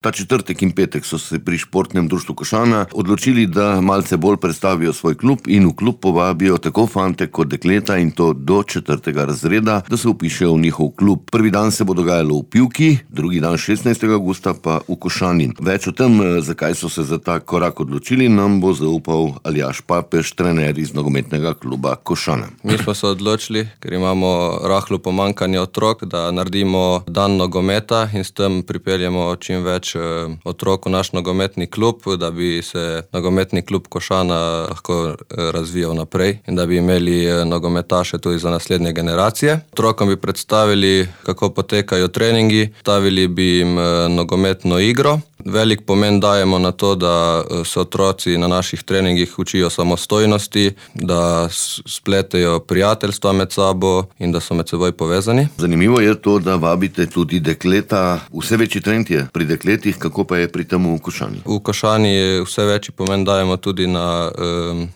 Ta četrtek in petek so se pri Športnem društvu Košana odločili, da malce bolj predstavijo svoj klub in v klub povabijo tako fante kot dekleta, in to do 4. razreda, da se vpišejo v njihov klub. Prvi dan se bo dogajalo v Pivki, drugi dan 16. avgusta pa v Košani. Več o tem, zakaj so se za ta korak odločili, nam bo zaupal Aljaž Papež, trener iz nogometnega kluba Košana. Mi smo se odločili, ker imamo rahlo pomanjkanje otrok, da naredimo dan nogometa in s tem pripeljemo čim več otrok v naš nogometni klub, da bi se nogometni klub Košana lahko razvijal naprej in da bi imeli nogometaše tudi za naslednje generacije. Otrokom bi predstavili, kako potekajo treningi, stavili bi jim nogometno igro. Velik pomen dajemo na to, da se otroci na naših treningih učijo samostojnosti, da spletejo prijateljstva med sabo in da so med seboj povezani. Zanimivo je to, da vabite tudi dekleta. Vse večji trend je pri dekletih, kako pa je pri tem v Košani? V Košani vse večji pomen dajemo tudi na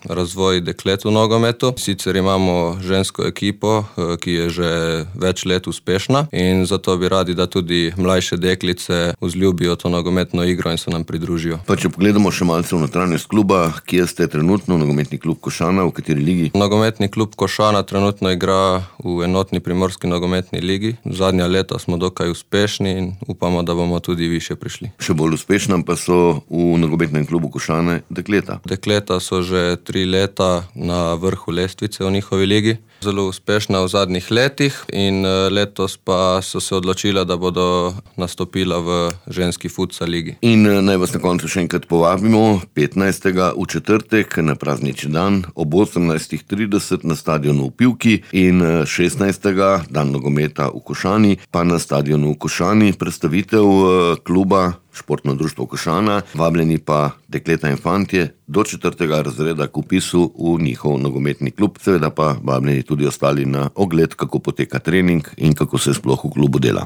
razvoj deklet v nogometu. Sicer imamo žensko ekipo, ki je že več let uspešna, in zato bi radi, da tudi mlajše deklice vzljubijo to nogometno igro in se nam pridružijo. Pa če pogledamo še malce v notranjost kluba, kje ste trenutno, nogometni klub Košana, v kateri ligi? Nogometni klub Košana trenutno igra v enotni primorski nogometni ligi. Zadnja leta smo dokaj uspešni in upamo, da bomo tudi višje prišli. Še bolj uspešna pa so v nogometnem klubu Košane dekleta. Dekleta so že 3 leta na vrhu lestvice v njihovi ligi. Zelo uspešna v zadnjih letih in letos pa so se odločila, da bodo nastopila v ženski futsal ligi. In naj vas na koncu še enkrat povabimo, 15. v četrtek na praznični dan ob 18:30 na stadionu v Pivki in 16. dan nogometa v Košani pa na stadionu v Košani. Predstavitev kluba Športno društvo Košana, vabljeni pa dekleta in fantje do 4. razreda k vpisu v njihov nogometni klub. Seveda pa vabljeni tudi ostali na ogled, kako poteka trening in kako se sploh v klubu dela.